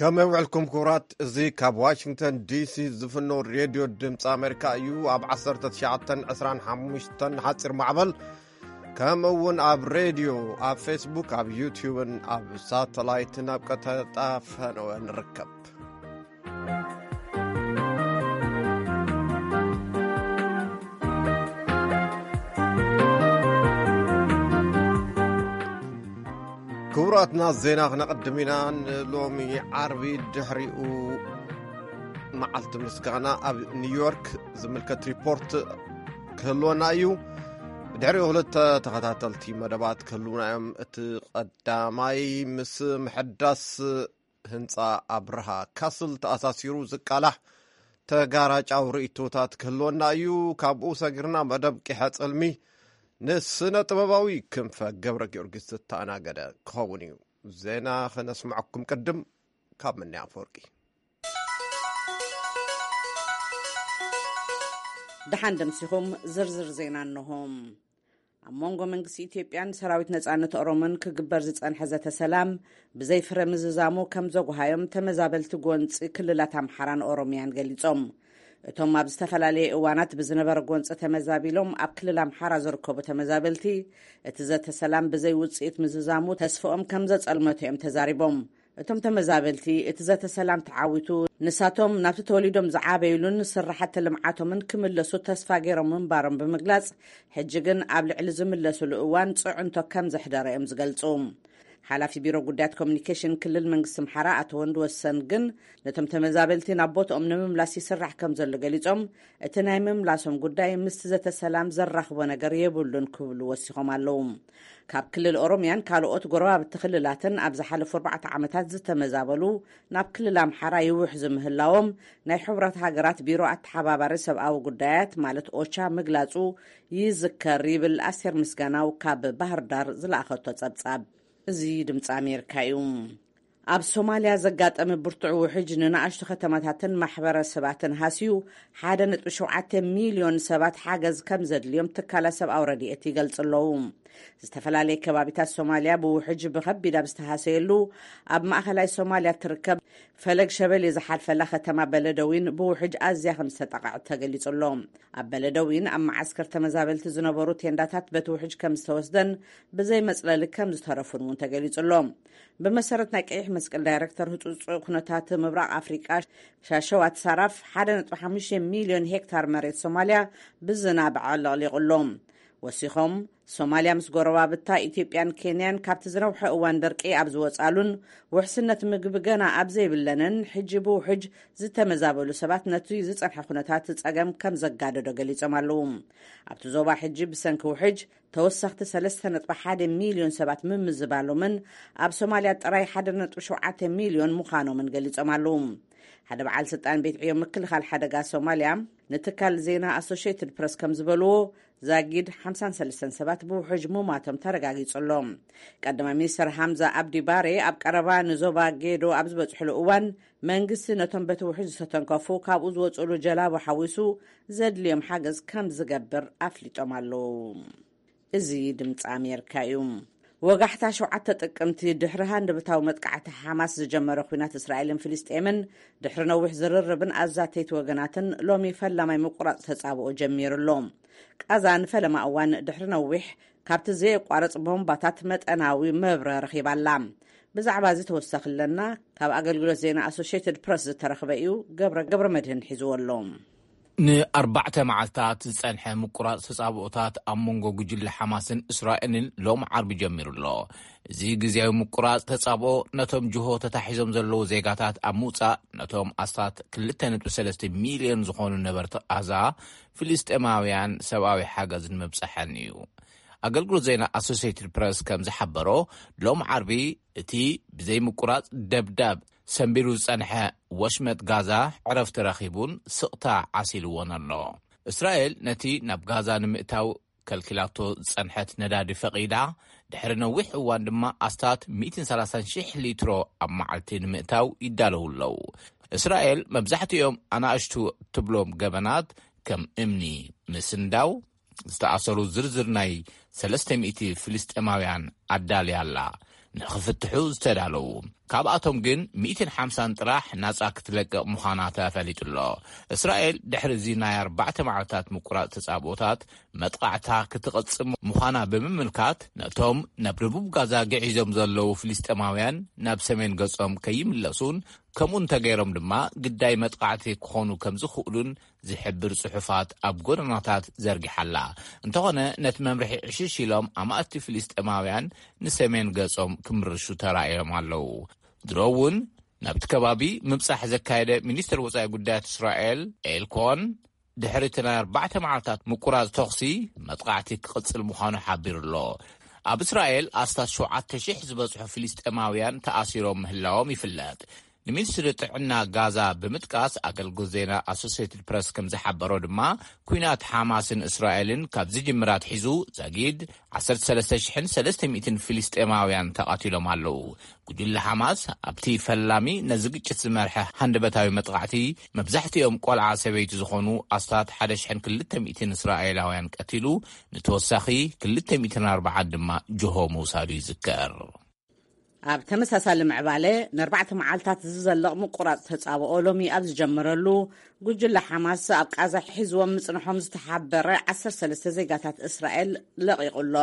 ከመይ ውዕልኩም ክቡራት? እዚ ካብ ዋሽንግተን ዲሲ ዝፍኖ ሬድዮ ድምፂ ኣሜሪካ እዩ። ኣብ ዓሰርተ ትሽዓተ ዕስራን ሓሙሽተን ሓፂር ማዕበል፣ ከምኡ እውን ኣብ ሬድዮ፣ ኣብ ፌስቡክ፣ ኣብ ዩቲዩብን ኣብ ሳተላይትን ኣብ ቀጥታ ፈነወ ንርከብ። ክቡራትና፣ ዜና ክነቐድም ኢና። ንሎሚ ዓርቢ ድሕሪኡ መዓልቲ ምስጋና ኣብ ኒውዮርክ ዝምልከት ሪፖርት ክህልወና እዩ። ድሕሪኡ ክልተ ተኸታተልቲ መደባት ክህልውና እዮም። እቲ ቀዳማይ ምስ ምሕዳስ ህንጻ ኣብርሃ ካስል ተኣሳሲሩ ዝቃላሕ ተጋራጫዊ ርእይቶታት ክህልወና እዩ። ካብኡ ሰጊርና መደብ ቂሐ ጽልሚ ንስነ ጥበባዊ ክንፈ ገብረ ጊዮርጊስ ዝተኣናገደ ክኸውን እዩ። ዜና ክነስምዐኩም ቅድም ካብ ምንያ ኣፈወርቂ። ደሓን ደምሲኹም ዝርዝር ዜና እንሆ። ኣብ መንጎ መንግስቲ ኢትዮጵያን ሰራዊት ነጻነት ኦሮሞን ክግበር ዝጸንሐ ዘተ ሰላም ብዘይ ፍረ ምዝዛሙ ከም ዘጉሃዮም ተመዛበልቲ ጎንጺ ክልላት ኣምሓራን ኦሮሚያን ገሊጾም። እቶም ኣብ ዝተፈላለየ እዋናት ብዝነበረ ጎንጺ ተመዛቢሎም ኣብ ክልል ኣምሓራ ዝርከቡ ተመዛበልቲ፣ እቲ ዘተ ሰላም ብዘይ ውጽኢት ምዝዛሙ ተስፍኦም ከም ዘጸልመቱ እዮም ተዛሪቦም። እቶም ተመዛበልቲ፣ እቲ ዘተ ሰላም ተዓዊቱ ንሳቶም ናብቲ ተወሊዶም ዝዓበይሉን ስራሕቲ ልምዓቶምን ክምለሱ ተስፋ ገይሮም ምንባሮም ብምግላጽ፣ ሕጂ ግን ኣብ ልዕሊ ዝምለስሉ እዋን ጽዕንቶ ከም ዘሕደረ እዮም ዝገልጹ። ሓላፊ ቢሮ ጉዳያት ኮሚኒኬሽን ክልል መንግስቲ ኣምሓራ ኣቶ ወንድ ወሰን ግን፣ ነቶም ተመዛበልቲ ናብ ቦትኦም ንምምላስ ይስራሕ ከም ዘሎ ገሊጾም፣ እቲ ናይ ምምላሶም ጉዳይ ምስቲ ዘተ ሰላም ዘራኽቦ ነገር የብሉን ክብሉ ወሲኾም ኣለዉ። ካብ ክልል ኦሮሚያን ካልኦት ጎረባብቲ ክልላትን ኣብ ዝሓለፉ ኣርባዕተ ዓመታት ዝተመዛበሉ ናብ ክልል ኣምሓራ ይውሕዙ ምህላዎም ናይ ሕቡራት ሃገራት ቢሮ ኣተሓባባሪ ሰብኣዊ ጉዳያት ማለት ኦቻ ምግላጹ ይዝከር ይብል ኣስቴር ምስጋናው ካብ ባህር ዳር ዝለኣኸቶ ጸብጻብ። እዚ ድምፂ ኣሜሪካ እዩ። ኣብ ሶማልያ ዘጋጠመ ብርቱዕ ውሕጅ ንንኣሽቱ ከተማታትን ማሕበረሰባትን ሃስዩ፣ ሓደ ነጥቢ ሸውዓተ ሚልዮን ሰባት ሓገዝ ከም ዘድልዮም ትካላት ሰብኣዊ ረድኤት ይገልጹ ኣለዉ። ዝተፈላለየ ከባቢታት ሶማልያ ብውሕጅ ብኸቢድ ኣብ ዝተሃሰየሉ፣ ኣብ ማእኸላይ ሶማልያ ትርከብ ፈለግ ሸበሌ ዝሓልፈላ ከተማ በለደዊን ብውሕጅ ኣዝያ ከም ዝተጠቕዐት ተገሊጹ ኣሎ። ኣብ በለደዊን ኣብ መዓስከር ተመዛበልቲ ዝነበሩ ቴንዳታት በቲ ውሕጅ ከም ዝተወስደን ብዘይ መጽለሊ ከም ዝተረፉን እውን ተገሊጹ ኣሎ። ብመሰረት ናይ ቀይሕ መስቀል ዳይረክተር ህጹጽ ኩነታት ምብራቕ ኣፍሪቃ ሻሸዋት ሳራፍ፣ ሓደ ነጥቢ ሓሙሽተ ሚልዮን ሄክታር መሬት ሶማልያ ብዝናብ ኣዕለቕሊቑ ኣሎ። ወሲኾም፣ ሶማልያ ምስ ጎረባብታ ኢትዮጵያን ኬንያን ካብቲ ዝነውሐ እዋን ደርቂ ኣብ ዝወጻሉን ውሕስነት ምግቢ ገና ኣብ ዘይብለንን፣ ሕጂ ብውሕጅ ዝተመዛበሉ ሰባት ነቲ ዝጸንሐ ኩነታት ጸገም ከም ዘጋደዶ ገሊጾም ኣለዉ። ኣብቲ ዞባ ሕጂ ብሰንኪ ውሕጅ ተወሰኽቲ ሰለስተ ነጥቢ ሓደ ሚልዮን ሰባት ምምዝባሎምን ኣብ ሶማልያ ጥራይ ሓደ ነጥቢ ሸውዓተ ሚልዮን ምዃኖምን ገሊጾም ኣለዉ። ሓደ በዓል ስልጣን ቤት ዕዮ ምክልኻል ሓደጋ ሶማልያ ንትካል ዜና ኣሶሽየትድ ፕረስ ከም ዝበልዎ፣ ዛጊድ ሓምሳን ሰለስተን ሰባት ብውሕጅ ምሟቶም ተረጋጊጹ ኣሎ። ቀዳማይ ሚኒስተር ሃምዛ ኣብዲ ባሬ ኣብ ቀረባ ንዞባ ጌዶ ኣብ ዝበጽሕሉ እዋን፣ መንግስቲ ነቶም በቲ ውሕጅ ዝተተንከፉ ካብኡ ዝወጽእሉ ጀላቡ ሓዊሱ ዘድልዮም ሓገዝ ከም ዝገብር ኣፍሊጦም ኣለዉ። እዚ ድምፂ ኣሜሪካ እዩ። ወጋሕታ ሸውዓተ ጥቅምቲ ድሕሪ ሃንደበታዊ መጥቃዕቲ ሓማስ ዝጀመረ ኲናት እስራኤልን ፍልስጤምን፣ ድሕሪ ነዊሕ ዝርርብን ኣዛተይቲ ወገናትን፣ ሎሚ ፈላማይ ምቁራጽ ተጻብኦ ጀሚሩ ኣሎ። ቃዛ ንፈለማ እዋን ድሕሪ ነዊሕ ካብቲ ዘየቋርጽ ቦምባታት መጠናዊ መብረ ረኺባ ኣላ። ብዛዕባ እዚ ተወሳኺ ኣለና። ካብ ኣገልግሎት ዜና ኣሶሽየትድ ፕረስ ዝተረኽበ እዩ። ገብረ፣ ገብረ መድህን ሒዝዎ ኣሎ። ንኣርባዕተ መዓልታት ዝጸንሐ ምቁራጽ ተጻብኦታት ኣብ መንጎ ጉጅለ ሓማስን እስራኤልን ሎም ዓርቢ ጀሚሩ ኣሎ። እዚ ግዜያዊ ምቁራጽ ተጻብኦ ነቶም ጅሆ ተታሒዞም ዘለዉ ዜጋታት ኣብ ምውጻእ፣ ነቶም ኣስታት ክልተ ነጥቢ ሰለስተ ሚልዮን ዝኾኑ ነበርቲ ቃዛ ፍልስጤማውያን ሰብኣዊ ሓገዝ ንምብጻሐን እዩ። ኣገልግሎት ዜና ኣሶሲየትድ ፕረስ ከም ዝሓበሮ፣ ሎም ዓርቢ እቲ ብዘይ ምቁራጽ ደብዳብ ሰንቢሩ ዝጸንሐ ወሽመጥ ጋዛ ዕረፍቲ ረኺቡን ስቕታ ዓሲልዎን ኣሎ። እስራኤል ነቲ ናብ ጋዛ ንምእታው ከልኪላቶ ዝጸንሐት ነዳዲ ፈቒዳ፣ ድሕሪ ነዊሕ እዋን ድማ ኣስታት ሚእትን ሰላሳን ሽሕ ሊትሮ ኣብ መዓልቲ ንምእታው ይዳለዉ ኣለዉ። እስራኤል መብዛሕትኦም ኣናእሽቱ እትብሎም ገበናት፣ ከም እምኒ ምስንዳው፣ ዝተኣሰሩ ዝርዝር ናይ ሰለስተ ሚእቲ ፍልስጤማውያን ኣዳልያ ኣላ። ንኽፍትሑ ዝተዳለዉ ካብኣቶም ግን ሚእትን ሓምሳን ጥራሕ ናጻ ክትለቅቕ ምዃና ተፈሊጡ ኣሎ። እስራኤል ድሕሪ እዚ ናይ ኣርባዕተ መዓልታት ምቁራጽ ተጻብኦታት መጥቃዕታ ክትቐጽም ምዃና ብምምልካት፣ ነቶም ናብ ደቡብ ጋዛ ግዒዞም ዘለዉ ፍልስጤማውያን ናብ ሰሜን ገጾም ከይምለሱን ከምኡ እንተገይሮም ድማ ግዳይ መጥቃዕቲ ክኾኑ ከም ዝኽእሉን ዝሕብር ጽሑፋት ኣብ ጎደናታት ዘርጊሓ ኣላ። እንተኾነ፣ ነቲ መምርሒ ዕሽሽ ኢሎም ኣማእቲ ፍልስጤማውያን ንሰሜን ገጾም ክምርሹ ተራእዮም ኣለዉ። ድሮ እውን ናብቲ ከባቢ ምብጻሕ ዘካየደ ሚኒስትር ወጻኢ ጉዳያት እስራኤል ኤል ኮን፣ ድሕሪ እቲ ናይ ኣርባዕተ መዓልታት ምቁራጽ ተኹሲ፣ መጥቃዕቲ ክቕጽል ምዃኑ ሓቢሩ ኣሎ። ኣብ እስራኤል ኣስታት ሸውዓተ ሽሕ ዝበጽሑ ፍልስጤማውያን ተኣሲሮም ምህላዎም ይፍለጥ። ንሚኒስትሪ ጥዕና ጋዛ ብምጥቃስ፣ ኣገልግሎት ዜና ኣሶሴትድ ፕረስ ከም ዝሓበሮ ድማ፣ ኲናት ሓማስን እስራኤልን ካብ ዝጅምር ኣትሒዙ፣ ዛጊድ ዓሰርተ ሰለስተ ሽሕን ሰለስተ ሚእትን ፍልስጤማውያን ተቓቲሎም ኣለዉ። ጉጅለ ሓማስ ኣብቲ ፈላሚ ነዚ ግጭት ዝመርሐ ሃንደበታዊ መጥቓዕቲ፣ መብዛሕትኦም ቆልዓ ሰበይቲ ዝኾኑ ኣስታት ሓደ ሽሕን ክልተ ሚእትን እስራኤላውያን ቀቲሉ፣ ንተወሳኺ ክልተ ሚእትን ኣርባዓን ድማ ጅሆ ምውሳዱ ይዝከር። ኣብ ተመሳሳሊ ምዕባለ፣ ንኣርባዕተ መዓልታት ዝዘለቕ ምቁራጽ ተጻብኦ ሎሚ ኣብ ዝጀመረሉ፣ ጉጅለ ሓማስ ኣብ ቃዛ ሒዝዎም ምጽንሖም ዝተሓበረ ዓሰርተ ሰለስተ ዜጋታት እስራኤል ለቒቑ ኣሎ።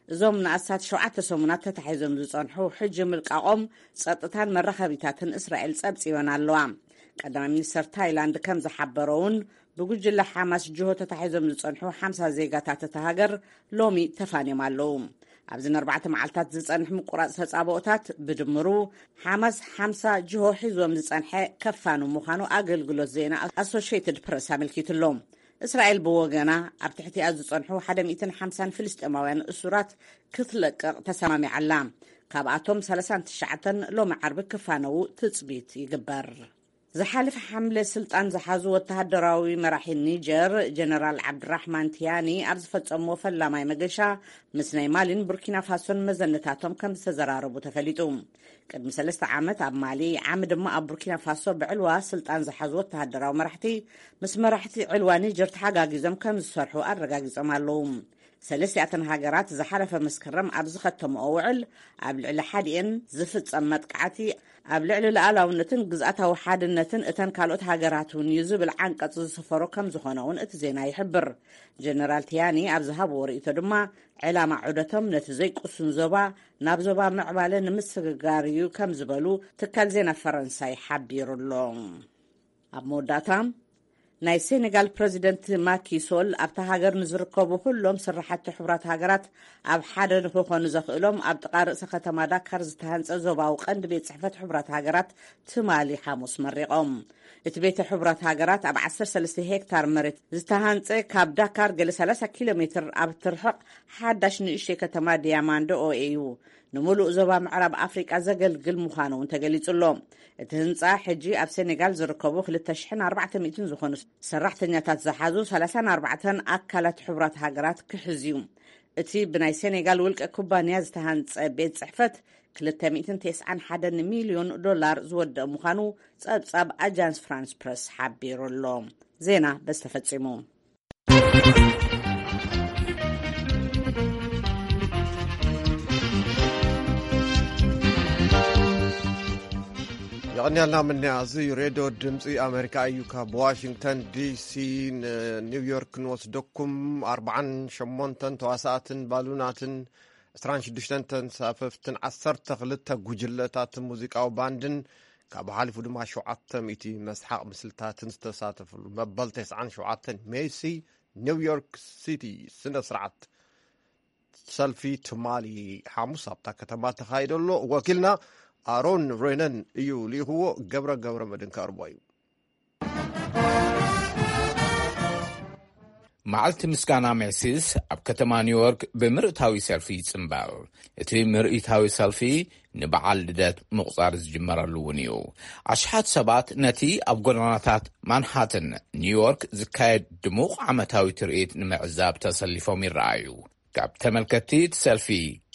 እዞም ንኣስታት ሸውዓተ ሰሙናት ተታሒዞም ዝጸንሑ፣ ሕጂ ምልቃቖም ጸጥታን መራኸቢታትን እስራኤል ጸብጺበን ኣለዋ። ቀዳማይ ሚኒስተር ታይላንድ ከም ዝሓበሮ እውን፣ ብጉጅለ ሓማስ ጅሆ ተታሒዞም ዝጸንሑ ሓምሳ ዜጋታት እታ ሃገር ሎሚ ተፋንዮም ኣለዉ። ኣብዚ ንኣርባዕተ መዓልታት ዝጸንሕ ምቁራጽ ተጻብኦታት ብድምሩ፣ ሓማስ ሓምሳ ጅሆ ሒዝዎም ዝጸንሐ ከፋኑ ምዃኑ ኣገልግሎት ዜና ኣሶሽየትድ ፕረስ ኣመልኪቱ ኣሎ። እስራኤል ብወገና፣ ኣብ ትሕቲኣ ዝጸንሑ ሓደ ሚእትን ሓምሳን ፍልስጤማውያን እሱራት ክትለቅቕ ተሰማሚዓ ኣላ። ካብኣቶም ሰላሳን ትሽዓተን ሎሚ ዓርቢ ክፋነዉ ትጽቢት ይግበር። ዝሓለፈ ሓምለ ስልጣን ዝሓዙ ወተሃደራዊ መራሒ ኒጀር ጀነራል ዓብድራሕማን ቲያኒ ኣብ ዝፈጸምዎ ፈላማይ መገሻ፣ ምስ ናይ ማሊን ቡርኪና ፋሶን መዘነታቶም ከም ዝተዘራረቡ ተፈሊጡ። ቅድሚ ሰለስተ ዓመት ኣብ ማሊ፣ ዓሚ ድማ ኣብ ቡርኪና ፋሶ ብዕልዋ ስልጣን ዝሓዙ ወተሃደራዊ መራሕቲ ምስ መራሕቲ ዕልዋ ኒጀር ተሓጋጊዞም ከም ዝሰርሑ ኣረጋጊጾም ኣለዉ። ሰለስቲኣተን ሃገራት ዝሓለፈ መስከረም ኣብ ዝኸተምኦ ውዕል፣ ኣብ ልዕሊ ሓዲኤን ዝፍጸም መጥቃዕቲ ኣብ ልዕሊ ሉዓላውነትን ግዝኣታዊ ሓድነትን እተን ካልኦት ሃገራት እውን እዩ ዝብል ዓንቀጽ ዝሰፈሮ ከም ዝኾነ እውን እቲ ዜና ይሕብር። ጀነራል ቲያኒ ኣብ ዝሃብዎ ርእይቶ ድማ፣ ዕላማ ዑደቶም ነቲ ዘይቅሱን ዞባ ናብ ዞባ ምዕባለ ንምስግጋር እዩ ከም ዝበሉ ትካል ዜና ፈረንሳይ ሓቢሩ ኣሎ። ኣብ መወዳእታ፣ ናይ ሴኔጋል ፕረዚደንት ማኪ ሶል፣ ኣብታ ሃገር ንዝርከቡ ኩሎም ስራሕቲ ሕቡራት ሃገራት ኣብ ሓደ ንክኾኑ ዘኽእሎም ኣብ ጥቓ ርእሰ ከተማ ዳካር ዝተሃንጸ ዞባዊ ቀንዲ ቤት ጽሕፈት ሕቡራት ሃገራት ትማሊ ሓሙስ መሪቖም። እቲ ቤተ ሕቡራት ሃገራት ኣብ ዓሰርተ ሰለስተ ሄክታር መሬት ዝተሃንጸ፣ ካብ ዳካር ገለ ሰላሳ ኪሎ ሜትር ኣብ ትርሕቕ ሓዳሽ ንእሽተይ ከተማ ዲያማንዶ ኦኤ እዩ። ንምሉእ ዞባ ምዕራብ ኣፍሪቃ ዘገልግል ምዃኑ እውን ተገሊጹ ኣሎ። እቲ ህንጻ፣ ሕጂ ኣብ ሴኔጋል ዝርከቡ ክልተ ሽሕን ኣርባዕተ ሚእትን ዝኾኑ ሰራሕተኛታት ዝሓዙ ሰላሳን ኣርባዕተን ኣካላት ሕቡራት ሃገራት ክሕዝ እዩ። እቲ ብናይ ሴኔጋል ውልቀ ኩባንያ ዝተሃንጸ ቤት ጽሕፈት፣ ክልተ ሚእትን ተስዓን ሓደን ሚልዮን ዶላር ዝወደእ ምዃኑ ጸብጻብ ኣጃንስ ፍራንስ ፕረስ ሓቢሩ ኣሎ። ዜና በዚ ተፈጺሙ። የቐንያልና ምንያ። እዚ ሬድዮ ድምፂ ኣሜሪካ እዩ። ካብ ዋሽንግተን ዲሲ ንኒውዮርክ ንወስደኩም። ኣርባዓን ሸሞንተን ተዋሳእትን ባሉናትን፣ ዕስራን ሽዱሽተን ተንሳፈፍትን፣ ዓሰርተ ክልተ ጉጅለታት ሙዚቃዊ ባንድን፣ ካብ ሓሊፉ ድማ ሸውዓተ ሚእቲ መስሓቕ ምስልታትን ዝተሳተፍሉ መበል ተስዓን ሸውዓተን ሜሲ ኒውዮርክ ሲቲ ስነ ስርዓት ሰልፊ ትማሊ ሓሙስ ኣብታ ከተማ ተኻይዶ ኣሎ። ወኪልና ኣሮን ሬነን እዩ ልኢኽዎ። ገብረ ገብረ መድን ከቕርቦ እዩ። መዓልቲ ምስጋና ሜሲስ ኣብ ከተማ ኒውዮርክ ብምርኢታዊ ሰልፊ ይጽንበር። እቲ ምርኢታዊ ሰልፊ ንበዓል ልደት ምቑጻር ዝጅመረሉ እውን እዩ። ኣሽሓት ሰባት ነቲ ኣብ ጎደናታት ማንሃተን ኒውዮርክ ዝካየድ ድሙቕ ዓመታዊ ትርኢት ንምዕዛብ ተሰሊፎም ይረኣዩ። ካብ ተመልከትቲ እቲ ሰልፊ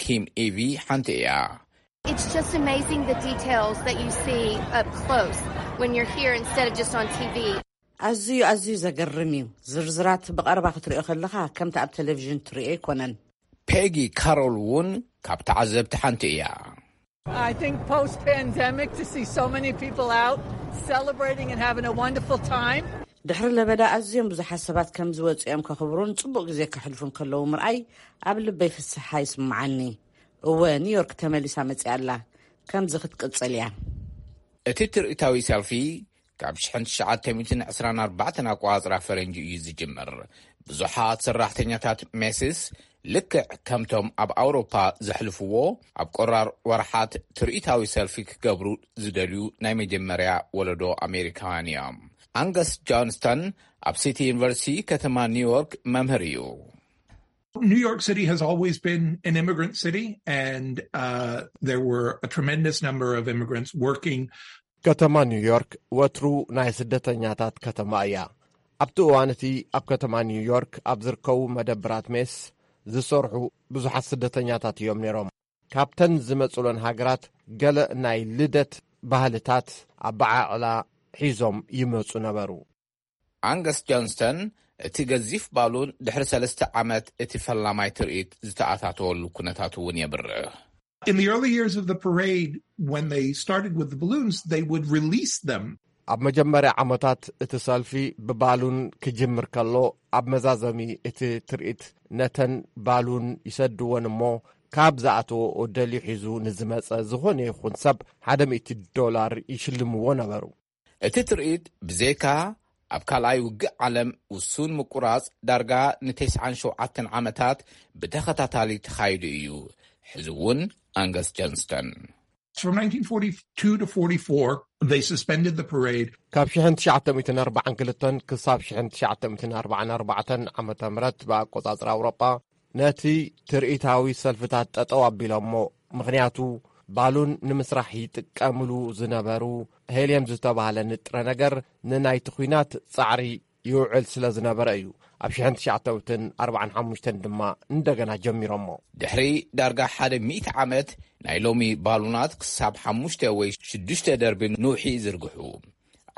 ኪም ኢቪ ሓንቲ እያ። It's just amazing the details that you see up close when you're here instead of just on T V. ኣዝዩ፣ ኣዝዩ ዘገርም እዩ። ዝርዝራት ብቐረባ ክትሪኦ ከለኻ ከምቲ ኣብ ቴሌቪዥን ትሪኦ ኣይኮነን። ፔጊ ካሮል እውን ካብ ተዓዘብቲ ሓንቲ እያ። I think post pandemic, to see so many people out celebrating and having a wonderful time. ድሕሪ ለበዳ ኣዝዮም ብዙሓት ሰባት ከም ዝወፁ እዮም ከኽብሩን ፅቡቕ ግዜ ከሕልፉን ከለዉ ምርኣይ ኣብ ልበይ ፍስሓ ይስምዓኒ። እወ፣ ኒውዮርክ ተመሊሳ መፂኣ ኣላ። ከምዚ ክትቅፅል እያ። እቲ ትርኢታዊ ሰልፊ ካብ ሽሕን ትሽዓተ ሚእትን ዕስራን ኣርባዕተን ኣቆጻጽራ ፈረንጂ እዩ ዝጅምር። ብዙሓት ሰራሕተኛታት ሜሲስ ልክዕ ከምቶም ኣብ ኣውሮፓ ዘሕልፍዎ ኣብ ቆራር ወርሓት ትርኢታዊ ሰልፊ ክገብሩ ዝደልዩ ናይ መጀመርያ ወለዶ ኣሜሪካውያን እዮም። ኣንገስ ጆንስተን ኣብ ሲቲ ዩኒቨርሲቲ ከተማ ኒውዮርክ መምህር እዩ። New York City has always been an immigrant city, and uh, there were a tremendous number of immigrants working. ከተማ ኒውዮርክ ወትሩ ናይ ስደተኛታት ከተማ እያ። ኣብቲ እዋን እቲ ኣብ ከተማ ኒውዮርክ ኣብ ዝርከቡ መደብራት ሜስ ዝሰርሑ ብዙሓት ስደተኛታት እዮም ነይሮም። ካብተን ዝመጹለን ሃገራት ገለ ናይ ልደት ባህልታት ኣበዓዕላ ሒዞም ይመጹ ነበሩ። ኣንገስ ጆንስተን እቲ ገዚፍ ባሉን ድሕሪ ሰለስተ ዓመት እቲ ፈላማይ ትርኢት ዝተኣታተወሉ ኩነታት እውን የብርህ። In the early years of the parade, when they started with the balloons, they would release them. ኣብ መጀመርያ ዓመታት እቲ ሰልፊ ብባሉን ክጅምር ከሎ ኣብ መዛዘሚ እቲ ትርኢት ነተን ባሉን ይሰድወን እሞ ካብ ዝኣተወኦ ደልዩ ሒዙ ንዝመጸ ዝኾነ ይኹን ሰብ ሓደ ሚእቲ ዶላር ይሽልምዎ ነበሩ። እቲ ትርኢት ብዘይካ ኣብ ካልኣይ ውግእ ዓለም ውሱን ምቁራጽ ዳርጋ ንተስዓን ሸውዓተን ዓመታት ብተኸታታሊ ተኻይዱ እዩ። ሕዚ እውን ኣንገስ ጀንስተን From nineteen forty-two to forty-four, they suspended the parade. ካብ ሽሕን ትሽዓተ ሚእትን ኣርባዓን ክልተን ክሳብ ሽሕን ትሽዓተ ሚእትን ኣርባዓን ኣርባዕተን ዓመተ ምህረት ብኣቆጻጽራ ኣውሮጳ ነቲ ትርኢታዊ ሰልፍታት ጠጠው ኣቢሎሞ። ምኽንያቱ ባሉን ንምስራሕ ይጥቀምሉ ዝነበሩ ሄልየም ዝተባህለ ንጥረ ነገር ንናይቲ ኲናት ጻዕሪ ይውዕል ስለ ዝነበረ እዩ ኣብ ሽሕን ትሽዓተ ሚእትን ኣርባዓን ሓሙሽተን ድማ እንደገና ጀሚሮሞ። ድሕሪ ዳርጋ ሓደ ሚእቲ ዓመት ናይ ሎሚ ባሉናት ክሳብ ሓሙሽተ ወይ ሽዱሽተ ደርቢ ንውሒ ይዝርግሑ።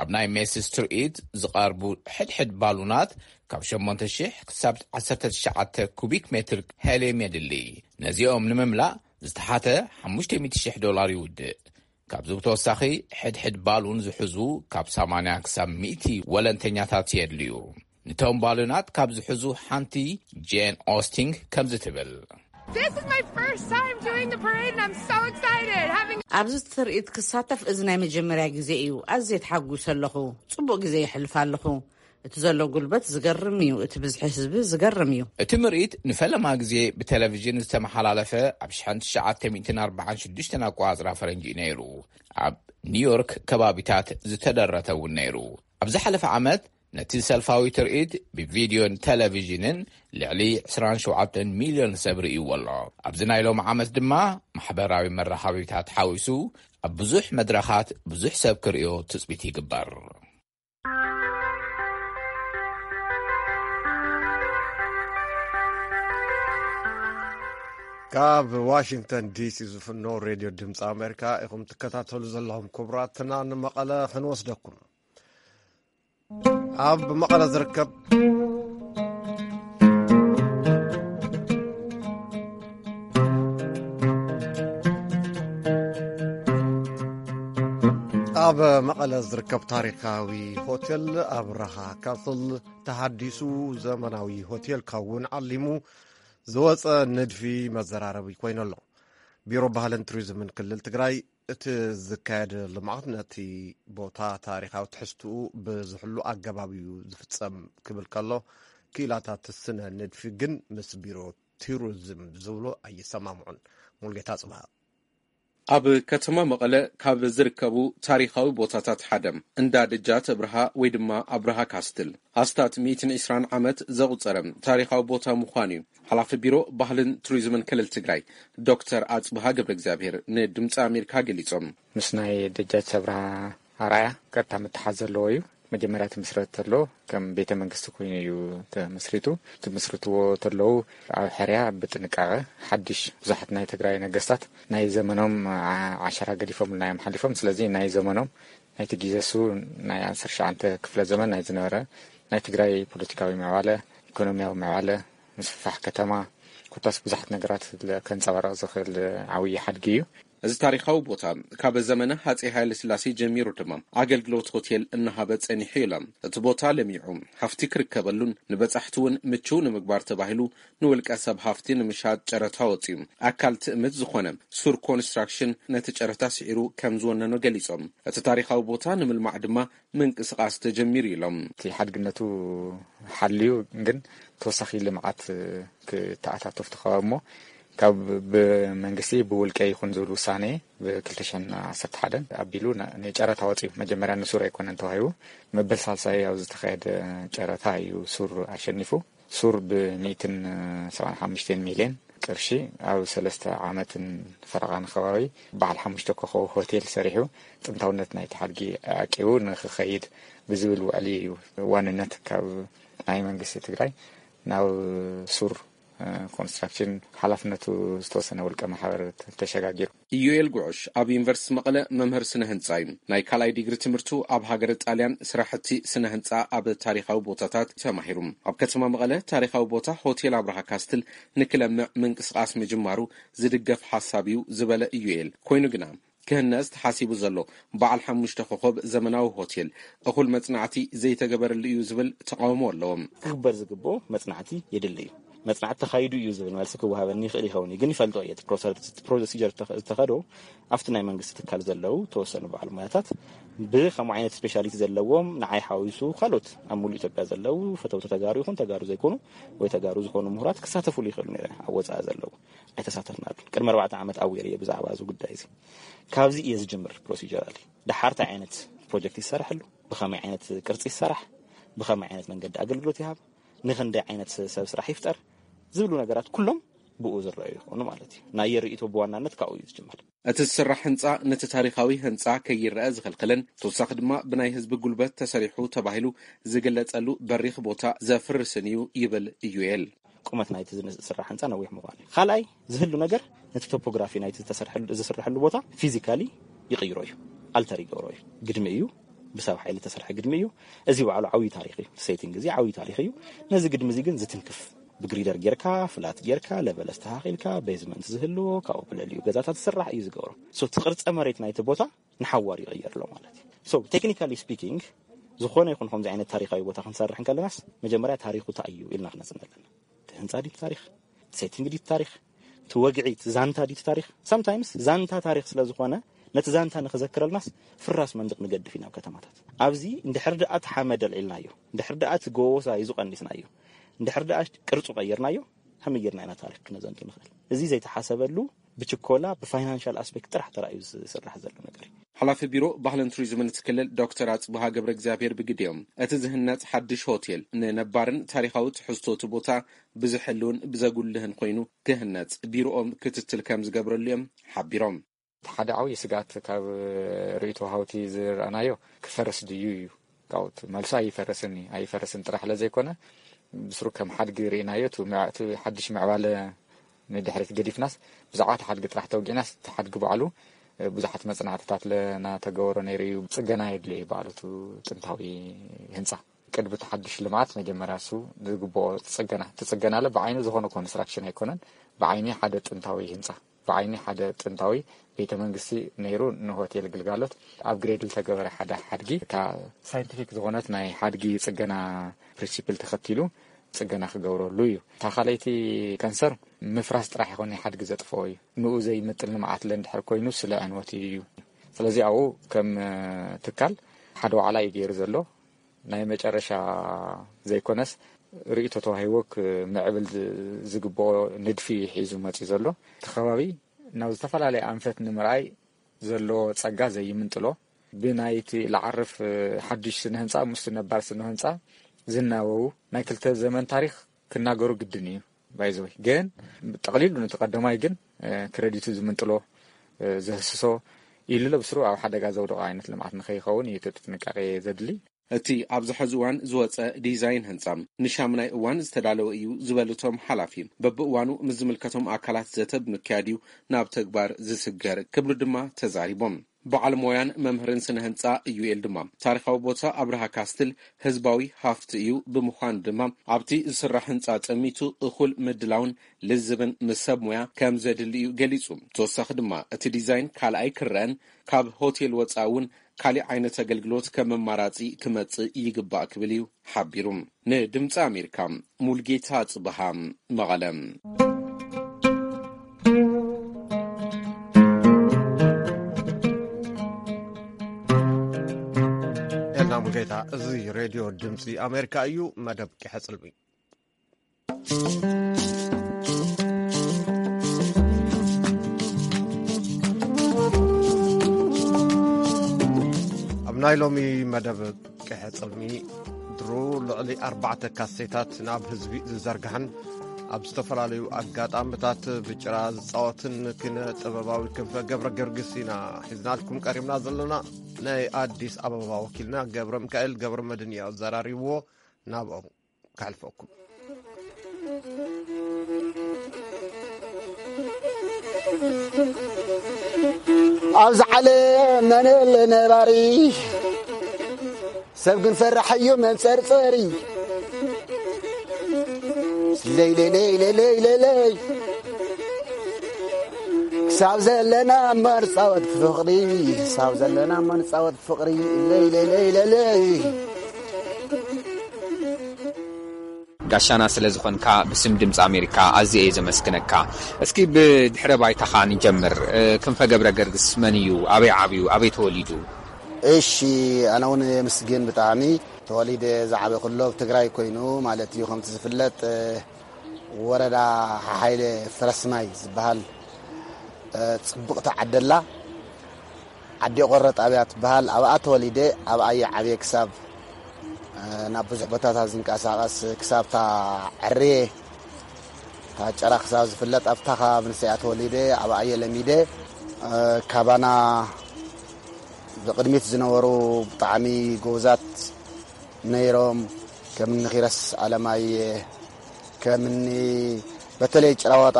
ኣብ ናይ ሜስስ ትርኢት ዝቐርቡ ሕድሕድ ባሉናት ካብ ሸሞንተ ሽሕ ክሳብ ዓሰርተ ትሽዓተ ኩቢክ ሜትር ሄልየም የድሊ። ነዚኦም ንምምላእ ዝተሓተ ሓሙሽተ ሚእቲ ሽሕ ዶላር ይውድእ። ካብዚ ብተወሳኺ ሕድሕድ ባሉን ዝሕዙ ካብ ሰማንያ ክሳብ ሚእቲ ወለንተኛታት የድልዩ። ንቶም ባሉናት ካብ ዝሕዙ ሓንቲ ጄን ኦስቲንግ ከምዚ ትብል። This is my first time doing the parade and I'm so excited. Having ኣብዚ ትርኢት ክሳተፍ እዚ ናይ መጀመርያ ግዜ እዩ። ኣዝየ ተሓጒሰ ኣለኹ። ጽቡቕ ግዜ የሕልፍ ኣለኹ። እቲ ዘሎ ጉልበት ዝገርም እዩ። እቲ ብዝሒ ህዝቢ ዝገርም እዩ። እቲ ምርኢት ንፈለማ ግዜ ብቴሌቪዥን ዝተመሓላለፈ ኣብ ሽሕን ትሽዓተ ሚእትን ኣርባዓን ሽዱሽተን ኣቆጻጽራ ፈረንጂ እዩ ነይሩ። ኣብ ኒውዮርክ ከባቢታት ዝተደረተ እውን ነይሩ። ኣብ ዝሓለፈ ዓመት ነቲ ሰልፋዊ ትርኢት ብቪድዮን ቴሌቪዥንን ልዕሊ ዕስራን ሸውዓተን ሚልዮን ሰብ ርእይዎ ኣሎ። ኣብዚ ናይ ሎሚ ዓመት ድማ ማሕበራዊ መራኸቢታት ሓዊሱ ኣብ ብዙሕ መድረኻት ብዙሕ ሰብ ክርእዮ ትጽቢት ይግበር። ካብ ዋሽንግተን ዲሲ ዝፍኖ ሬድዮ ድምፂ ኣሜሪካ ኢኹም ትከታተሉ ዘለኹም። ክቡራትና ንመቐለ ክንወስደኩም። ኣብ መቐለ ዝርከብ ኣብ መቐለ ዝርከብ ታሪኻዊ ሆቴል ኣብርሃ ካስል ተሃዲሱ ዘመናዊ ሆቴል ከውን ዓሊሙ ዝወፀ ንድፊ መዘራረቢ ኮይኑ ኣሎ። ቢሮ ባህልን ቱሪዝምን ክልል ትግራይ እቲ ዝካየድ ልምዓት ነቲ ቦታ ታሪኻዊ ትሕዝትኡ ብዝሕሉ ኣገባብ እዩ ዝፍጸም ክብል ከሎ፣ ክኢላታት ስነ ንድፊ ግን ምስ ቢሮ ቱሪዝም ዝብሎ ኣይሰማምዑን። ሙልጌታ ጽብሃ። ኣብ ከተማ መቐለ ካብ ዝርከቡ ታሪኻዊ ቦታታት ሓደ እንዳ ደጃት ኣብርሃ ወይ ድማ ኣብርሃ ካስትል ኣስታት ሚእትን ዕስራን ዓመት ዘቑጸረ ታሪኻዊ ቦታ ምዃኑ እዩ ሓላፊ ቢሮ ባህልን ቱሪዝምን ክልል ትግራይ ዶክተር ኣጽብሃ ገብረ እግዚኣብሔር ንድምፂ ኣሜሪካ ገሊጾም። ምስ ናይ ደጃች ኣብርሃ ኣርኣያ ቀጥታ ምትሓዝ ዘለዎ እዩ። መጀመርያ ትምስረት ተሎ ከም ቤተ መንግስቲ ኮይኑ እዩ ተመስሪቱ። ትምስርትዎ ተለዉ ኣብ ሕርያ ብጥንቃቐ ሓድሽ ብዙሓት ናይ ትግራይ ነገስታት ናይ ዘመኖም ዓሸራ ገዲፎምልና እዮም ሓሊፎም። ስለዚ ናይ ዘመኖም ናይቲ ግዜ እሱ ናይ ዓሰርተ ትሽዓተ ክፍለ ዘመን ናይ ዝነበረ ናይ ትግራይ ፖለቲካዊ ምዕባለ፣ ኢኮኖሚያዊ ምዕባለ፣ ምስፍፋሕ ከተማ ኮታስ ብዙሓት ነገራት ከንፀባርቕ ዝኽእል ዓብዪ ሓድጊ እዩ። እዚ ታሪኻዊ ቦታ ካብ ዘመነ ሃጼ ሃይለ ስላሴ ጀሚሩ ድማ ኣገልግሎት ሆቴል እናሃበ ጸኒሑ ኢሎም። እቲ ቦታ ለሚዑ ሃፍቲ ክርከበሉን ንበጻሕቲ እውን ምቹው ንምግባር ተባሂሉ ንውልቀ ሰብ ሃፍቲ ንምሻጥ ጨረታ ወጺኡ። ኣካል ትእምት ዝኾነ ሱር ኮንስትራክሽን ነቲ ጨረታ ስዒሩ ከም ዝወነኖ ገሊጾም። እቲ ታሪኻዊ ቦታ ንምልማዕ ድማ ምንቅስቓስ ተጀሚሩ ኢሎም። እቲ ሓድግነቱ ሓልዩ ግን ተወሳኺ ልምዓት ክተኣታተፍ ተኸባ እሞ ካብ ብመንግስቲ ብውልቀ ይኹን ዝብል ውሳኔ ብ2011 ኣቢሉ ን- ንጨረታ ወፂኡ። መጀመርያ ንሱር ኣይኮነን ተዋሂቡ፣ መበል ሳልሳይ ኣብ ዝተኻየደ ጨረታ እዩ ሱር ኣሸኒፉ። ሱር ብ175 ሚልዮን ቅርሺ ኣብ ሰለስተ ዓመትን ፈረቓን ከባቢ በዓል ሓሙሽተ ኮኸብ ሆቴል ሰሪሑ ጥንታውነት ናይቲ ሓድጊ ኣዕቂቡ ንክኸይድ ብዝብል ውዕሊ እዩ ዋንነት ካብ ናይ መንግስቲ ትግራይ ናብ ሱር ኮንስትራክሽን ሓላፍነቱ ዝተወሰነ ውልቀ ማሕበር ተሸጋጊሩ። ኢዩኤል ጉዑሽ ኣብ ዩኒቨርሲቲ መቐለ መምህር ስነ ህንፃ እዩ። ናይ ካልኣይ ዲግሪ ትምህርቱ ኣብ ሃገረ ጣልያን ስራሕቲ ስነ ህንፃ ኣብ ታሪኻዊ ቦታታት ተማሂሩ። ኣብ ከተማ መቐለ ታሪኻዊ ቦታ ሆቴል ኣብርሃ ካስትል ንክለምዕ ምንቅስቃስ ምጅማሩ ዝድገፍ ሓሳብ እዩ ዝበለ ኢዩኤል፣ ኮይኑ ግና ክህነጽ ተሓሲቡ ዘሎ በዓል ሓሙሽተ ኮኸብ ዘመናዊ ሆቴል እኹል መጽናዕቲ ዘይተገበረሉ እዩ ዝብል ተቃውሞ ኣለዎም። ክግበር ዝግብኦ መጽናዕቲ የድሊ እዩ። መጽናዕቲ ተኻይዱ እዩ ዝብል መልሲ ክወሃበኒ ይኽእል ይኸውን እዩ፣ ግን ይፈልጦ እየ። እቲ ፕሮሰ-፣ እቲ ፕሮሲጀር ዝተኸ-፣ ዝተኸዶ ኣብቲ ናይ መንግስቲ ትካል ዘለዉ ተወሰኑ በዓል ሞያታት ብከምኡ ዓይነት ስፔሻሊቲ ዘለዎም ንዓይ ሓዊሱ ካልኦት ኣብ ሙሉእ ኢትዮጵያ ዘለዉ ፈተውቲ ተጋሩ ይኹን ተጋሩ ዘይኮኑ ወይ ተጋሩ ዝኾኑ ምሁራት ክሳተፉሉ ይኽእሉ ነይረ ኣብ ወፃኢ ዘለዉ። ኣይተሳተፍናሉ። ቅድሚ ኣርባዕተ ዓመት ኣዌር እየ ብዛዕባ እዚ ጉዳይ እዚ። ካብዚ እየ ዝጅምር ፕሮሲጀራሊ። ደሓር እንታይ ዓይነት ፕሮጀክት ይሰራሐሉ፣ ብኸመይ ዓይነት ቅርፂ ይሰራሕ፣ ብኸመይ ዓይነት መንገዲ ኣገልግሎት ይሃብ፣ ንኽንደይ ዓይነት ሰብ ስራሕ ይፍጠር ዝብሉ ነገራት ኩሎም ብኡ ዝረኣዩ ይኾኑ ማለት እዩ። ናይ ርእይቶ ብዋናነት ካብኡ እዩ ዝጅምር። እቲ ዝስራሕ ህንጻ ነቲ ታሪኻዊ ህንጻ ከይረኣ ዝኸልክልን ተወሳኺ ድማ ብናይ ህዝቢ ጉልበት ተሰሪሑ ተባሂሉ ዝግለጸሉ በሪኽ ቦታ ዘፍርስን እዩ ይብል ኢዩኤል። ቁመት ናይቲ ዝስራሕ ህንጻ ነዊሕ ምዃኑ እዩ። ካልኣይ ዝህሉ ነገር ነቲ ቶፖግራፊ ናይቲ ዝተሰርሐሉ፣ ዝስርሐሉ ቦታ ፊዚካሊ ይቕይሮ እዩ፣ ኣልተር ይገብሮ እዩ። ግድሚ እዩ፣ ብሰብ ሓይሊ ዝተሰርሐ ግድሚ እዩ። እዚ ባዕሉ ዓብዪ ታሪኽ እዩ። ሴቲንግ እዚ ዓብዪ ታሪኽ እዩ። ነዚ ግድሚ እዚ ግን ዝትንክፍ ብግሪደር ጌርካ፣ ፍላት ጌርካ፣ ለቨል ኣስተኻኺልካ፣ ቤዝመንት ዝህልዎ፣ ካብኡ ብልዕሊኡ ገዛታት ዝስራሕ እዩ ዝገብሮ። ሶ እቲ ቅርጸ መሬት ናይቲ ቦታ ንሓዋር ይቕየር ኣሎ ማለት እዩ። ሶ ቴክኒካሊ ስፒኪንግ ዝኾነ ይኹን ከምዚ ዓይነት ታሪኻዊ ቦታ ክንሰርሕ እንከለናስ መጀመርያ ታሪኹ እንታይ እዩ ኢልና ክነጽን ኣለና። እቲ ህንጻ ድዩ ታሪኽ? ሴቲንግ ድዩ ታሪኽ? እቲ ወግዒ፣ እቲ ዛንታ ድዩ ታሪኽ? ሳምታይምስ ዛንታ ታሪኽ ስለ ዝኾነ ነቲ ዛንታ ንኽዘክረልናስ ፍራስ መንድቕ ንገድፍ ኢና ኣብ ከተማታት። ኣብዚ እንድሕር ደኣ እቲ ሓመድ ኣልዒልናዮ፣ እንድሕር ደኣ እቲ ጎቦ ሳይዙ ቀኒስናዮ፣ እንድሕር ደኣ ቅርጹ ቀይርናዮ፣ ከመይ ጌርና ኢና ታሪኽ ክነዘንቱ ንኽእል? እዚ ዘይተሓሰበሉ ብችኮላ ብፋይናንሻል ኣስፔክት ጥራሕ ተራእዩ ዝስራሕ ዘሎ ነገር እዩ። ሓላፊ ቢሮ ባህልን ቱሪዝምን እቲ ክልል ዶክተር ኣጽብሃ ገብረ እግዚኣብሔር ብግዲኦም፣ እቲ ዝህነጽ ሓድሽ ሆቴል ንነባርን ታሪኻዊ ትሕዝቶ እቲ ቦታ ብዝሕልውን ብዘጉልህን ኮይኑ ክህነጽ ቢሮኦም ክትትል ከም ዝገብረሉ እዮም ሓቢሮም። እቲ ሓደ ዓብዪ ስጋት ካብ ርእይቶ ሃውቲ ዝረኣናዮ ክፈርስ ድዩ እዩ። ካብኡ እቲ መልሱ ኣይፈርስን እዩ። ኣይፈርስን ጥራሕ ስለ ዘይኮነ ብስሩ ከም ሓድጊ ርኢናዮ። እቲ ምዕ-፣ እቲ ሓድሽ ምዕባለ ንድሕሪት ገዲፍናስ ብዛዕባ እቲ ሓድጊ ጥራሕ ተወጊዕናስ እቲ ሓድጊ ባዕሉ ብዙሓት መጽናዕትታት ለናተገበሮ ነይሩ እዩ። ጽገና የድልዮ እዩ ባዕሉ እቲ ጥንታዊ ህንጻ። ቅድሚ እቲ ሓድሽ ልምዓት መጀመርያ እሱ ዝግብኦ ጽገና፣ እቲ ጽገና ለ ብዓይኑ ዝኾነ ኮንስትራክሽን ኣይኮነን፣ ብዓይኒ ሓደ ጥንታዊ ህንጻ፣ ብዓይኒ ሓደ ጥንታዊ ቤተ መንግስቲ ነይሩ ንሆቴል ግልጋሎት ኣፕግሬድ ዝተገበረ ሓደ ሓድጊ። እታ ሳይንቲፊክ ዝኾነት ናይ ሓድጊ ጽገና ፕሪንሲፕል ተኸቲሉ ጽገና ክገብረሉ እዩ። እታ ካልኣይቲ ከንሰር ምፍራስ ጥራሕ ይኾን ናይ ሓድጊ ዘጥፍኦ እዩ። ንኡ ዘይምጥን ልምዓት ለ እንድሕር ኮይኑ ስለ ዕንወት እዩ። ስለዚ ኣብኡ ከም ትካል ሓደ ዋዕላ እዩ ገይሩ ዘሎ። ናይ መጨረሻ ዘይኮነስ ርእይቶ ተዋሂቦ ክምዕብል ዝ-፣ ዝግብኦ ንድፊ ሒዙ መፂኡ ዘሎ። እቲ ከባቢ ናብ ዝተፈላለየ ኣንፈት ንምርኣይ ዘለዎ ጸጋ ዘይምንጥሎ፣ ብናይቲ ለዓርፍ ሓድሽ ስነ ህንጻ ምስቲ ነባር ስነ ህንጻ ዝናበቡ ናይ ክልተ ዘመን ታሪኽ ክናገሩ ግድን እዩ። ባይዘወይ ግን ጠቕሊሉ ነቲ ቀዳማይ ግን ክረዲቱ ዝምንጥሎ፣ ዘህስሶ ኢሉ ለብስሩ ኣብ ሓደጋ ዘውደቑ ዓይነት ልምዓት ንኸይኸውን እዩ እቲ ጥንቃቄ ዘድሊ። እቲ ኣብዚ ሕዚ እዋን ዝወጸ ዲዛይን ህንጻ ንሻምናይ እዋን ዝተዳለወ እዩ ዝበሉ እቶም ሓላፊ፣ በብእዋኑ ምስ ዝምልከቶም ኣካላት ዘተ ብምክያድ እዩ ናብ ተግባር ዝስገር ክብሉ ድማ ተዛሪቦም። በዓል ሞያን መምህርን ስነ ህንጻ ዩኤል ድማ፣ ታሪኻዊ ቦታ ኣብርሃ ካስትል ህዝባዊ ሃፍቲ እዩ፣ ብምዃኑ ድማ ኣብቲ ዝስራሕ ህንጻ ጠሚቱ እኹል ምድላውን ልዝብን ምስ ሰብ ሞያ ከም ዘድሊ እዩ ገሊጹ። ተወሳኺ ድማ፣ እቲ ዲዛይን ካልኣይ ክረአን ካብ ሆቴል ወጻኢ እውን ካሊእ ዓይነት ኣገልግሎት ከም ኣማራጺ ክመጽእ ይግባእ ክብል እዩ ሓቢሩ። ንድምፂ ኣሜሪካ፣ ሙልጌታ ጽብሃ፣ መቐለ። ኤልና ሙልጌታ። እዚ ሬድዮ ድምፂ ኣሜሪካ እዩ። መደብ ቂሐ ጽልሚ። ኣብ ናይ ሎሚ መደብ ቅሐ ጽልሚ፣ ድሩ ልዕሊ ኣርባዕተ ካሴታት ናብ ህዝቢ ዝዘርግሐን ኣብ ዝተፈላለዩ ኣጋጣምታት ብጭራ ዝጻወትን ኪነ ጥበባዊ ክንፈ ገብረ ገርግስ ኢና ሒዝናልኩም ቀሪብና ዘለና። ናይ ኣዲስ ኣበባ ወኪልና ገብረ ሚካኤል ገብረ መድን እዩ ኣዘራሪብዎ። ናብኦም ከሕልፈኩም። ኣብዚ ዓለም መን ኣሎ ነባሪ፣ ሰብ ግን ፈራሕ እዩ መንጸርጸሪ። ለይለይለይለይለይለይ፣ ክሳብ ዘለና እሞ ንጻወት ፍቕሪ፣ ክሳብ ዘለና እሞ ንጻወት ፍቕሪ። ለይለይለይለይለይ። ጋሻና ስለ ዝኾንካ ብስም ድምፂ ኣሜሪካ ኣዝየ እየ ዘመስግነካ። እስኪ ብድሕረ ባይታኻ ንጀምር። ክንፈ ገብረ ገርግስ መን እዩ? ኣበይ ዓብዩ? ኣበይ ተወሊዱ? እሺ፣ ኣነ እውን የምስግን ብጣዕሚ። ተወሊደ ዝዓበ ኩሎ ኣብ ትግራይ ኮይኑ ማለት እዩ። ከምቲ ዝፍለጥ ወረዳ ሓሓይለ ፍረስማይ ዝበሃል ጽቡቕቲ ዓደላ ዓዲ ቆረ ጣብያ ትበሃል። ኣብኣ ተወሊደ፣ ኣብኣ እየ ዓብየ ክሳብ ናብ ብዙሕ ቦታታት ዝንቀሳቐስ ክሳብ ታ ዕርየ ታ ጨራ ክሳብ ዝፍለጥ ኣብታ ከባቢ ንሰያ ተወሊደ፣ ኣብኣ እየ ለሚደ። ካባና ብቕድሚት ዝነበሩ ብጣዕሚ ጎብዛት ነይሮም። ከም ንኺረስ ኣለማየ፣ ከም ኒ በተለይ ጭራዋጣ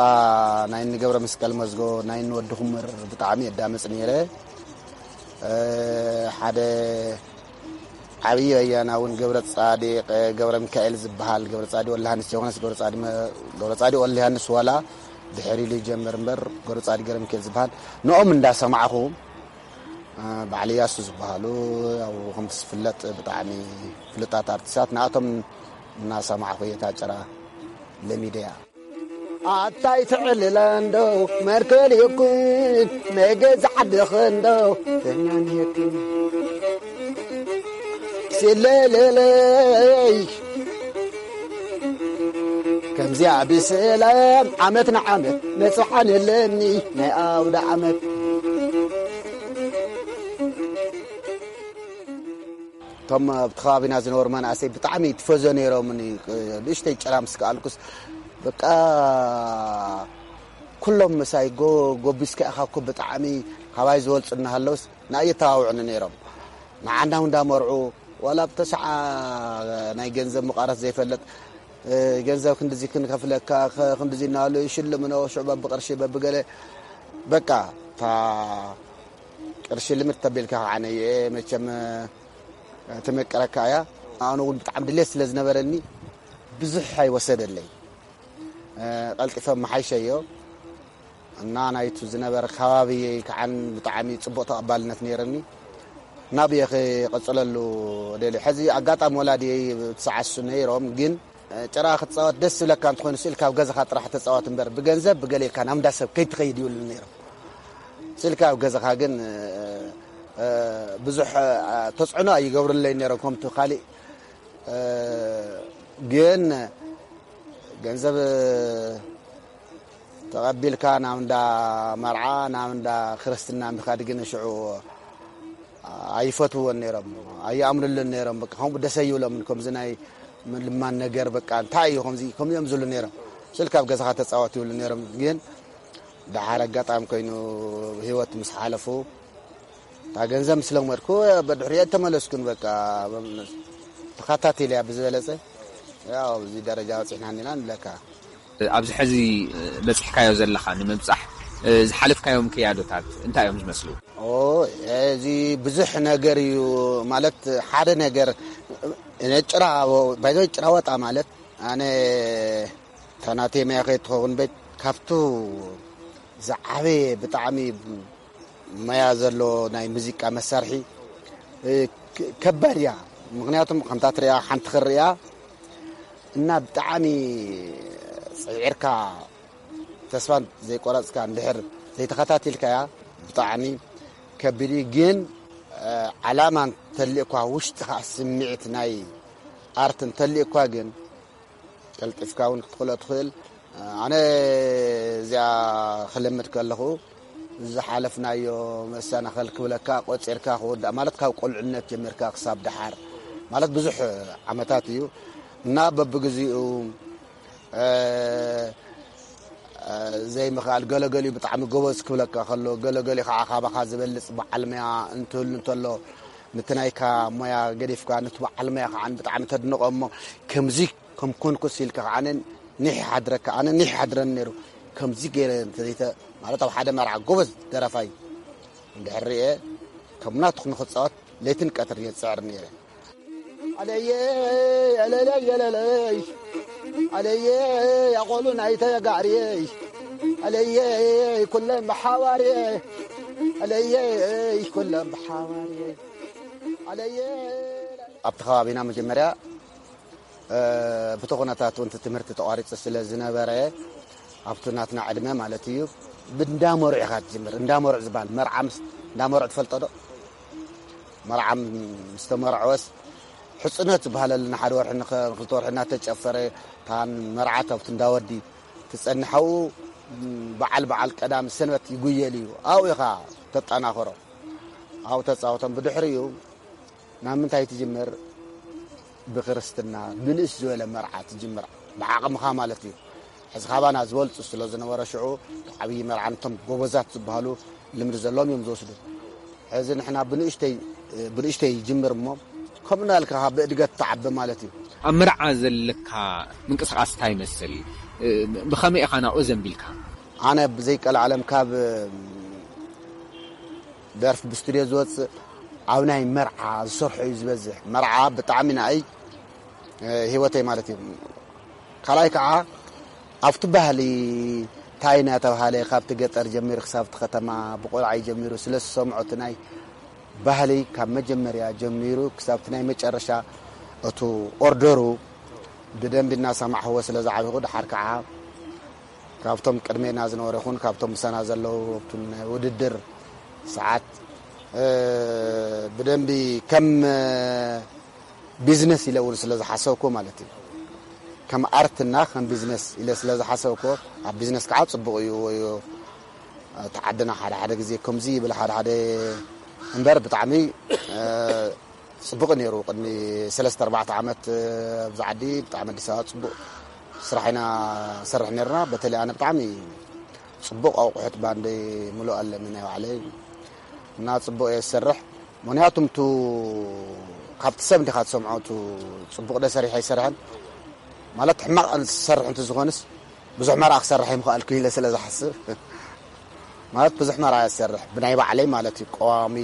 ናይ ንገብረ መስቀል መዝጎ ናይ ንወዲ ኩምር ብጣዕሚ የዳምፅ ነይረ። ሓደ ዓብዪ በያና እውን ገብረ ፃዲቅ ገብረ ሚካኤል ዝበሃል፣ ገብረ ፃዲቅ ወልደ ዮሃንስ ዘይኮነስ ገብረ ፃዲቅ ወልደ ዮሃንስ ዋላ ድሕር ኢሉ ይጀምር እምበር ገብረ ፃዲቅ ገብረ ሚካኤል ዝበሃል ንኦም እንዳሰማዕኹ በዓል እያሱ ዝበሃሉ፣ ያው ከምቲ ዝፍለጥ ብጣዕሚ ፍሉጣት ኣርቲስታት፣ ንኣቶም እናሰማዕኹ እየ እታ ጭራ ለሚደያ። ኣታይ ትዕልለ እንዶ መርከል ይኩን ናይ ገዛ ዓድኽ እንዶ ተኛን ይኩን ሲለለለይ ከምዚኣ ብሰላም ዓመት ንዓመት መጽዓን ኣለኒ ናይ ኣውደ ዓመት። እቶም ኣብቲ ከባቢና ዝነበሩ መናእሰይ ብጣዕሚ ይትፈዞ ነይሮምኒ። ንእሽተይ ጭራ ምስ ከኣልኩስ በቃ ኩሎም ምሳይ ጎ- ጎቢስካ ኢኻ እኮ ብጣዕሚ ካባይ ዝበልጹ እናሃለውስ ንኣይ የተባብዑኒ ነይሮም። ንዓና እውን እንዳመርዑ ዋላ ብተስዓ ናይ ገንዘብ ምቓረስ ዘይፈልጥ ገንዘብ ክንድዚ ክንከፍለካ ክንድዚ እናበሉ ይሽልምኖ ሽዑ በብቕርሺ በብገለ በቃ እታ ቅርሺ ልምድ ተቢልካ ከዓ ነየ መቸም ትምቅረካ እያ። ኣነ እውን ብጣዕሚ ድሌት ስለ ዝነበረኒ ብዙሕ ኣይወሰደለይ። ቀልጢፈ መሓይሸዮ እና ናይቱ ዝነበረ ከባቢ ከዓን ብጣዕሚ ፅቡቕ ተቐባልነት ነይረኒ። ናብየ ክቕፅለሉ ደልየ። ሕዚ ኣጋጣሚ ወላድየይ ትሰዓሱ ነይሮም፣ ግን ጭራ ክትፃወት ደስ ዝብለካ እንተኾይኑ ስኢልካ ኣብ ገዛኻ ጥራሕ ተፃወት እምበር ብገንዘብ ብገለ ኢልካ ናብ እንዳ ሰብ ከይትኸይድ ይብሉኒ ነይሮም። ስኢልካ ኣብ ገዛኻ ግን ብዙሕ ተፅዕኖ ኣይገብሩለይ ነይሮም ከምቲ ካሊእ ግን ገንዘብ ተቐቢልካ ናብ እንዳ መርዓ ናብ እንዳ ክርስትና ምኻድ ግን ሽዑ ኣይፈትውዎን ነይሮም፣ ኣይኣምኑሉን ነይሮም። በቃ ከምኡ ደስ ኣይብሎምን። ከምዚ ናይ ምልማን ነገር በቃ እንታይ እዩ ከምዚ ከምዚኦም ዝብሉ ነይሮም። ስልካ ኣብ ገዛኻ ተፃወት ይብሉ ነይሮም። ግን ደሓር ኣጋጣሚ ኮይኑ ህይወት ምስ ሓለፉ እታ ገንዘብ ምስ ለመድኩ በድሕሪኦ ተመለስኩን በቃ ተኸታቲለ እያ ብዝበለፀ ያው ኣብዚ ደረጃ በፂሕና እኒና ንብለካ። ኣብዚ ሕዚ በፂሕካዮ ዘለኻ ንምብፃሕ ዝሓለፍካዮም ክያዶታት እንታይ እዮም ዝመስሉ? ኦ እዚ ብዙሕ ነገር እዩ። ማለት ሓደ ነገር፣ ጭራ፣ ባይዞ ጭራ ወጣ ማለት ኣነ ታናቴ መያ ከይትኸውን ቤት ካብቱ ዝዓበየ ብጣዕሚ መያ ዘሎ ናይ ሙዚቃ መሳርሒ፣ እ፣ ክ-፣ ከባድ እያ። ምኽንያቱም ከምታ ትሪኣ ሓንቲ ክሪኣ እና ብጣዕሚ ጽዒርካ ተስፋ ዘይቆረጽካ እንድሕር ዘይተኸታቲልካያ ብጣዕሚ ከቢድ እዩ። ግን፣ እ፣ ዓላማ እንተልእኳ ውሽጥኻ ስምዒት ናይ ኣርት እንተልእኳ ግን ቀልጢፍካ እውን ክትኽእሎ ትኽእል። ኣነ እዚኣ ክልምድ ከለኹ ዝሓለፍናዮ መሰናኸል ክብለካ ቆፂርካ ክወዳእ ማለት ካብ ቆልዕነት ጀሚርካ ክሳብ ደሓር ማለት ብዙሕ ዓመታት እዩ እና በብግዚኡ፣ እ፣ እ፣ ዘይምኽኣል ገለገሊኡ ብጣዕሚ ጎበዝ ክብለካ ከሎ ገለገሊኡ ከዓ ካባኻ ዝበልፅ በዓል መያ እንትህሉ እንተሎ ንቲ ናይካ ሞያ ገዲፍካ ንቲ በዓል መያ ከዓ ብጣዕሚ ተድንቆ እሞ ከምዚ ከም ኮንኩስ ኢልካ ከዓ ኣነ ኒሕ ይሓድረካ፣ ኣነ ኒሕ ይሓድረኒ ነይሩ። ከምዚ ገይረ እንተዘይተ-፣ ማለት ኣብ ሓደ መርዓ ጎበዝ ደራፋይ እንድሕር ርኤ ከም ናትኹ ንኽፃወት ለይትን ቀትርን እየ ዝፅዕር ነይረ። ኣለየ፣ ኣለለይ፣ ኣለለይ፣ ኣለየ፣ ኣቆሉ ናይ ተጋርየ፣ ኣለየ፣ ኩለን ብሓባርየ፣ ኣለየ፣ ኩለን ብሓባርየ፣ ኣለየ። ኣብቲ ከባቢና መጀመርያ እ፣ ብቲ ኩነታት እውን እቲ ትምህርቲ ተቋሪጹ ስለ ዝነበረ፣ ኣብቲ ናትና ዕድመ ማለት እዩ፣ ብእንዳ መሩዕ ኢኻ ትጅምር። እንዳ መሩዕ ዝበሃል መርዓ ምስ፣ እንዳ መሩዕ ትፈልጦ ዶ? መርዓ ምስ ተመርዐወስ፣ ሕጽኖት ዝበሃለልና ሓደ ወርሒ ንኸ-፣ ንኽልተ ወርሒ እናተጨፈረ፣ እታ መርዓት ኣብቲ እንዳ ወዲ ትጸንሕ። ኣብኡ በዓል፣ በዓል ቀዳም ሰንበት ይጉየል እዩ። ኣብኡ ኢኻ ተጠናኽሮ። ኣብኡ ተጻወቶም። ብድሕሪኡ ናብ ምንታይ ትጅምር? ብክርስትና፣ ብንእስ ዝበለ መርዓ ትጅምር፣ ብዓቕምኻ ማለት እዩ። ሕዚ ካባና ዝበልጹ ስለ ዝነበረ ሽዑ፣ ዓብዪ መርዓ ነቶም ጎበዛት ዝበሃሉ ልምዲ ዘለዎም እዮም ዝወስዱ። ሕዚ ንሕና ብንእሽተይ፣ ብንእሽተይ ይጅምር እሞ፣ ከምኡ እናልካ ብእድገት ትዓቢ ማለት እዩ። ኣብ መርዓ ዘለካ ምንቅስቓስ እንታይ ይመስል? ብኸመይ ኢኻ ናብኡ ዘንቢልካ? ኣነ ብዘይቀልዓለም ካብ ደርፊ ብስቱድዮ ዝወፅእ ኣብ ናይ መርዓ ዝሰርሖ እዩ ዝበዝሕ። መርዓ ብጣዕሚ ንኣይ፣ እ፣ ህይወተይ ማለት እዩ። ካልኣይ ከዓ ኣብቲ ባህሊ እንታይ እናተባሃለ ካብቲ ገጠር ጀሚሩ ክሳብ እቲ ከተማ ብቆልዓይ ጀሚሩ ስለ ዝሰምዖ እቲ ናይ ባህሊ ካብ መጀመርያ ጀሚሩ ክሳብ እቲ ናይ መጨረሻ እቱ ኦርደሩ ብደንቢ እናሰማዕኽዎ ስለ ዝዓበኹ፣ ድሓር ከዓ ካብቶም ቅድሜና ዝነበሩ ይኹን ካብቶም ምሳና ዘለዉ ኣብቲ ናይ ውድድር ሰዓት፣ እ፣ ብደንቢ ከም ቢዝነስ ኢለ እውን ስለ ዝሓሰብኩ ማለት እዩ። ከም ኣርትና ከም ቢዝነስ ኢለ ስለ ዝሓሰብኩ፣ ኣብ ቢዝነስ ከዓ ጽቡቕ እዩ። ወይ እቲ ዓድና ሓደ ሓደ ግዜ ከምዚ ይብል ሓደ ሓደ እምበር ብጣዕሚ፣ እ፣ ጽቡቕ ነይሩ። ቅድሚ ሰለስተ ኣርባዕተ ዓመት፣ እ፣ ኣብዚ ዓዲ ብጣዕሚ ኣዲስ ኣበባ ጽቡቕ ስራሕ ኢና ንሰርሕ ነይርና። በተለይ ኣነ ብጣዕሚ ጽቡቕ ኣቑሑት ባንደይ ምሉእ ኣለኒ ናይ ባዕለይ እና ጽቡቕ እየ ዝሰርሕ። ምኽንያቱም ቱ ካብቲ ሰብ እንዲኻ ትሰምዖ ቱ ጽቡቕ ዶ ሰሪሐ ኣይሰርሐን ማለት ሕማቕ ዝሰርሕ እንተ ዝኾንስ ብዙሕ መርዓ ክሰርሕ ኣይምኽኣልኩ ኢለ ስለ ዝሓስብ ማለት ብዙሕ መርዓ እየ ዝሰርሕ ብናይ ባዕለይ ማለት እዩ። ቀዋሚ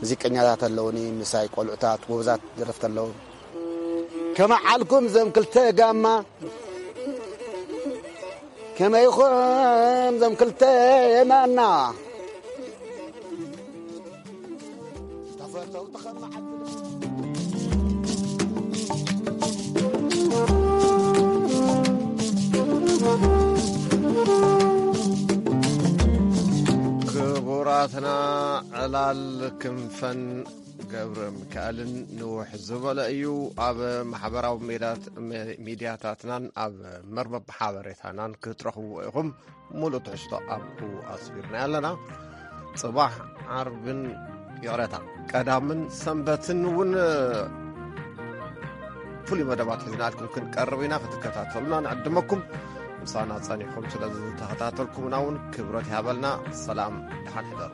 ሙዚቀኛታት ኣለውኒ ምሳይ ቆልዑታት ጎበዛት ደረፍቲ ኣለዉ። ከመዓልኩም ዘም ክልተ ጋማ ከመይኹም ዘም ክልተ የማና ተፈተው ተኸማዓት ክቡራትና ዕላል ክንፈን ገብረ ሚካኤልን ንውሕ ዝበለ እዩ። ኣብ ማሕበራዊ ሜዳት-፣ ሜ-፣ ሚድያታትናን ኣብ መርበብ ሓበሬታናን ክትረኽብዎ ኢኹም። ሙሉእ ትሕዝቶ ኣብኡ ኣስፊርና ኣለና። ጽባሕ ዓርብን፣ ይቕረታ፣ ቀዳምን ሰንበትን እውን ፍሉይ መደባት ሒዝናልኩም ክንቀርብ ኢና። ክትከታተሉና ንዕድመኩም። ምሳና ጸኒሕኩም ስለ ዝተኸታተልኩምና እውን ክብረት ይሃበልና። ሰላም፣ ደሓን ሕደሩ።